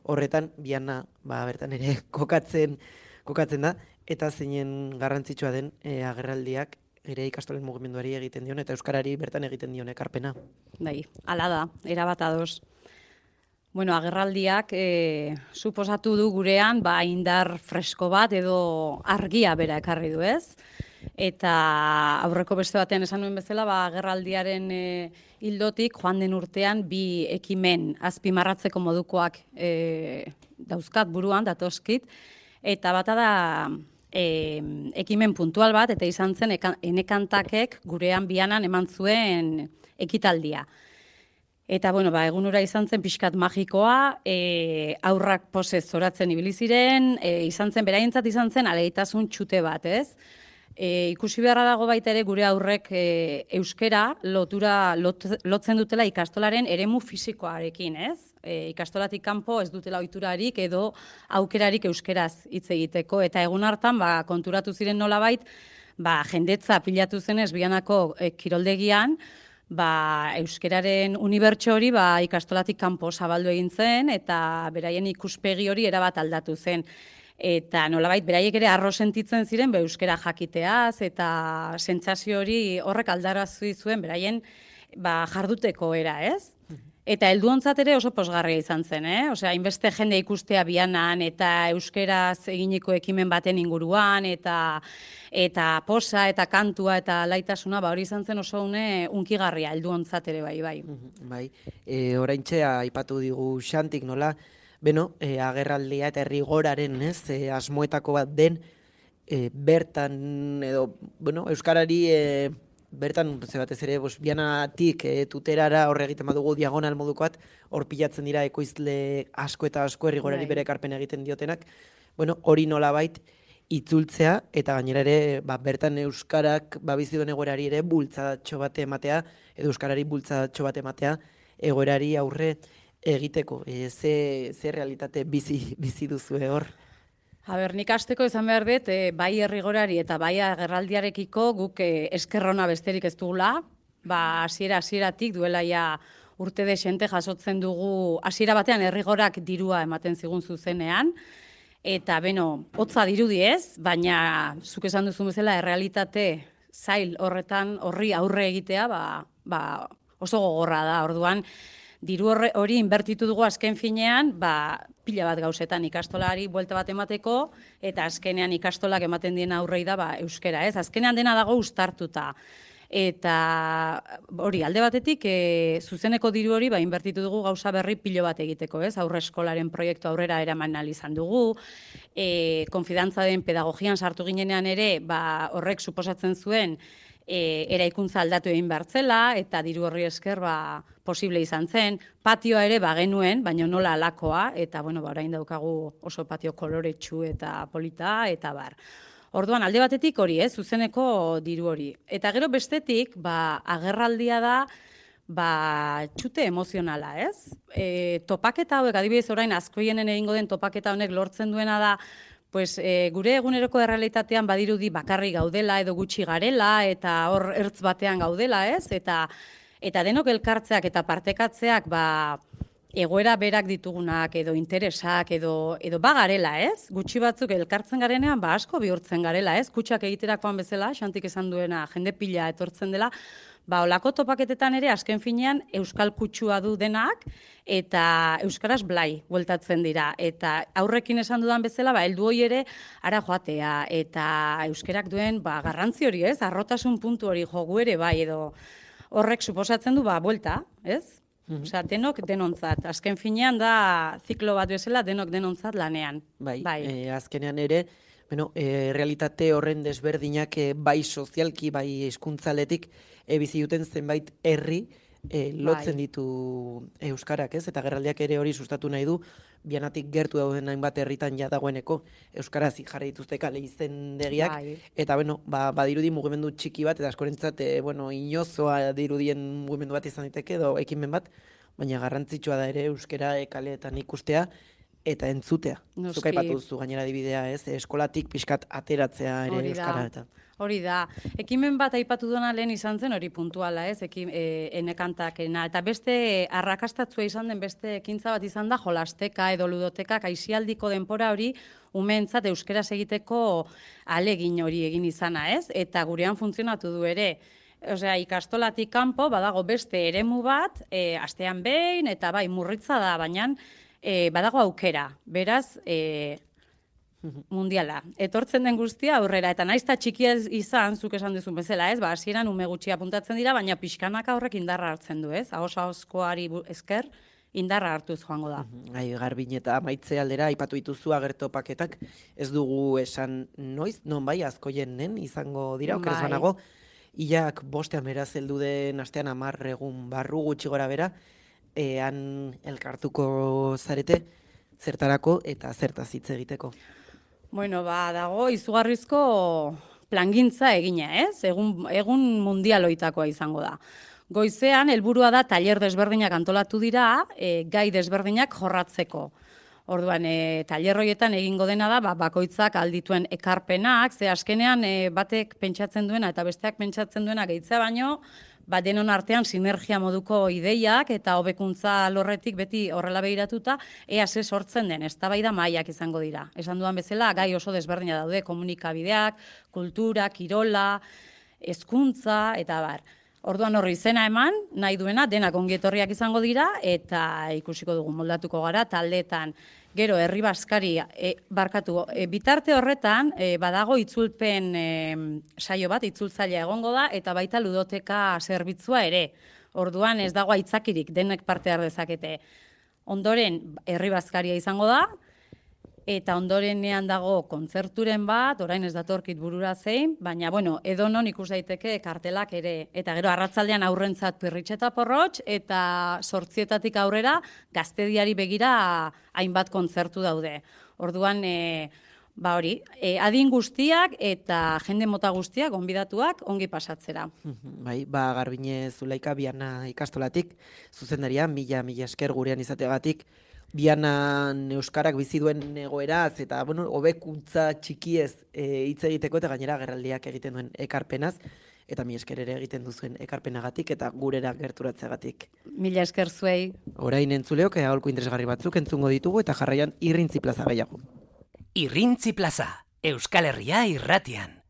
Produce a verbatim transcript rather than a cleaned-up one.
horretan biana ba, bertan ere kokatzen, kokatzen da, eta zeinen garrantzitsua den e, agerraldiak ere ikastolen mugimenduari egiten dion, eta euskarari bertan egiten dion ekarpena. Bai, hala da, erabat ados. Bueno, agerraldiak e, suposatu du gurean ba, indar fresko bat edo argia bera ekarri du, ez? Eta aurreko beste batean esan nuen bezala, ba, agerraldiaren e, hildotik joan den urtean bi ekimen azpimarratzeko modukoak e, dauzkat buruan, datoskit, eta bata da e, ekimen puntual bat, eta izan zen enekantakek gurean bianan eman zuen ekitaldia. Eta, bueno, ba, egunura izan zen pixkat magikoa, e, aurrak posez zoratzen ibili ziren, e, izan zen, beraientzat izan zen, aleitasun txute bat, ez? E, ikusi beharra dago baita ere gure aurrek e, euskera lotura lot, lotzen dutela ikastolaren eremu fisikoarekin, ez? E, ikastolatik kanpo ez dutela ohiturarik edo aukerarik euskeraz hitz egiteko, eta egun hartan ba, konturatu ziren nolabait, ba, jendetza pilatu zenez bianako e, kiroldegian, ba, euskeraren unibertso hori ba, ikastolatik kanpo zabaldu egin zen, eta beraien ikuspegi hori erabat aldatu zen. Eta nolabait, beraiek ere arro sentitzen ziren, be, euskera jakiteaz, eta sentsazio hori horrek aldarazi zuen beraien ba, jarduteko era, ez? Eta helduontzat ere oso posgarria izan zen, eh? Osea, hainbeste jende ikustea bianan eta euskeraz eginiko ekimen baten inguruan eta eta posa eta kantua eta laitasuna, ba hori izan zen oso une unkigarria helduontzat ere bai, bai. Bai. E, oraintxe aipatu digu Xantik nola, beno, e, agerraldia eta rigoraren, ez, e, asmoetako bat den e, bertan edo, bueno, euskarari e, bertan, ze batez ere, bos, bianatik e, tuterara horre egiten badugu diagonal modukoat, hor pilatzen dira ekoizle asko eta asko errigorari bere ekarpen egiten diotenak, bueno, hori nolabait itzultzea, eta gainera ere, ba, bertan euskarak ba, bizi duen egoerari ere bultzadatxo bate ematea, edo euskarari bultzadatxo bate ematea, egoerari aurre egiteko. E, ze, ze realitate bizi, bizi duzue hor? A ber, nik hasteko izan behar dut, e, bai errigorari eta bai agerraldiarekiko guk e, eskerrona besterik ez dugula, ba, hasiera hasieratik duela ja urte desente jasotzen dugu, hasiera batean errigorak dirua ematen zigun zuzenean, eta beno, hotza dirudi ez, baina zuk esan duzu bezala errealitate zail horretan horri aurre egitea, ba, ba, oso gogorra da, orduan, diru hori inbertitu dugu azken finean, ba, pila bat gauzetan ikastolari buelta bat emateko, eta azkenean ikastolak ematen dien aurrei da ba, euskera, ez? Azkenean dena dago uztartuta. Eta hori, alde batetik, e, zuzeneko diru hori ba, inbertitu dugu gauza berri pilo bat egiteko, ez? Aurre eskolaren proiektu aurrera eraman ahal izan dugu, e, konfidantza den pedagogian sartu ginenean ere, ba, horrek suposatzen zuen, E, eraikuntza aldatu egin bertzela, eta diru horri esker ba, posible izan zen. Patioa ere bagenuen, baina nola alakoa, eta bueno, ba, orain daukagu oso patio koloretsu eta polita, eta bar. Orduan, alde batetik hori, ez, zuzeneko diru hori. Eta gero bestetik, ba, agerraldia da, ba, txute emozionala, ez? E, topaketa hauek, adibidez orain, askoienen egingo den topaketa honek lortzen duena da, pues, e, gure eguneroko errealitatean badirudi bakarri gaudela edo gutxi garela eta hor ertz batean gaudela, ez? Eta, eta denok elkartzeak eta partekatzeak ba, egoera berak ditugunak edo interesak edo, edo bagarela, ez? Gutxi batzuk elkartzen garenean ba, asko bihurtzen garela, ez? Kutxak egiterakoan bezala, Xantik esan duena jende pila etortzen dela, ba, olako topaketetan ere azken finean euskal kutsua du denak eta euskaraz blai bueltatzen dira. Eta aurrekin esan dudan bezala, ba, heldu hori ere ara joatea eta euskerak duen ba, garrantzi hori, ez? Arrotasun puntu hori jogu ere bai edo horrek suposatzen du ba, buelta, ez? Mm-hmm. Osea, denok denontzat. Azken finean da ziklo bat bezala denok denontzat lanean. Bai, bai. E, azkenean ere, bueno, e, realitate horren desberdinak e, bai sozialki, bai hizkuntzaletik e, bizi duten zenbait herri e, lotzen bai. Ditu euskarak, ez? Eta agerraldiak ere hori sustatu nahi du, bianatik gertu dauden hainbat herritan ja dagoeneko euskaraz jarri dituzte kale izendegiak, bai. Eta bueno, ba, badirudi mugimendu txiki bat, eta askorentzat e, bueno, inozoa dirudien mugimendu bat izan diteke edo ekimen bat, baina garrantzitsua da ere euskara e, kaleetan ikustea, eta entzutea. Noski. Zuk aipatu duzu gainera adibidea, ez? Eskolatik pixkat ateratzea ere Hori da. euskara eta. Hori da. Ekimen bat aipatu duena lehen izan zen hori puntuala, ez? Ekim, e, enekantakena. Eta beste arrakastatzua izan den beste ekintza bat izan da jolasteka edo ludotekak aisialdiko denpora hori umeentzat euskeraz egiteko alegin hori egin izana, ez? Eta gurean funtzionatu du ere. Osea, ikastolatik kanpo badago beste eremu bat, e, astean behin eta bai murritza da, baina e, badago aukera. Beraz, e, mundiala. Etortzen den guztia aurrera, eta naiz ta txikia izan, zuk esan duzun bezala, ez? Ba, hasieran ume gutxi apuntatzen dira, baina pixkanaka horrek indarra hartzen du, ez? Ahos-ahoskoari esker indarra hartuz joango da. Gai, Garbin eta amaitze aldera aipatu dituzu agertopaketak, ez dugu esan noiz, non bai azkoienen izango dira, okerez Bai. banago, ilak bostean beraz heldu den astean hamar egun barru gutxi gora bera, ean elkartuko zarete zertarako eta zertaz hitz egiteko. Bueno, ba, dago izugarrizko plangintza egina, ez? Egun, egun mundialoitakoa izango da. Goizean, helburua da tailer desberdinak antolatu dira, e, gai desberdinak jorratzeko. Orduan, e, tailer horietan egingo dena da, ba, bakoitzak aldituen ekarpenak, ze azkenean e, batek pentsatzen duena eta besteak pentsatzen duena gehitzea baino, ba, denon artean sinergia moduko ideiak eta hobekuntza lorretik beti horrela behiratuta, ea ze sortzen den, eztabaida mahaiak izango dira. Esan dudan bezala, gai oso desberdina daude, komunikabideak, kultura, kirola, hezkuntza eta bar. Orduan horri izena eman, nahi duena, denak ongietorriak izango dira, eta ikusiko dugu moldatuko gara, taldeetan. Gero, herri baskari, e, barkatu, e, bitarte horretan, e, badago itzulpen e, saio bat, itzultzailea egongo da, eta baita ludoteka zerbitzua ere. Orduan ez dago aitzakirik, denek parte har dezakete. Ondoren, herri baskaria izango da, eta ondorenean dago kontzerturen bat, orain ez datorkit burura zein, baina, bueno, edonon ikus daiteke kartelak ere. Eta gero, arratzaldean aurrentzat pirritxeta porrotx, eta sortzietatik aurrera gaztediari begira hainbat kontzertu daude. Orduan, e, ba hori, e, adin guztiak eta jende mota guztiak, gonbidatuak, ongi pasatzera. Bai, ba, Garbine Zulaika Biana ikastolatik, zuzendaria, mila, mila esker gurean izateagatik, Bianan euskarak bizi duen egoeraz eta bueno, hobekuntza txikiez e, hitz egiteko eta gainera agerraldiak egiten duen ekarpenaz eta mi esker ere egiten duzuen ekarpenagatik eta gurera gerturatzeagatik. Mila esker zuei. Orain entzuleok aholku interesgarri batzuk entzungo ditugu eta jarraian Irrintzi Plaza gehiago. Irrintzi Plaza, Euskal Herria irratian.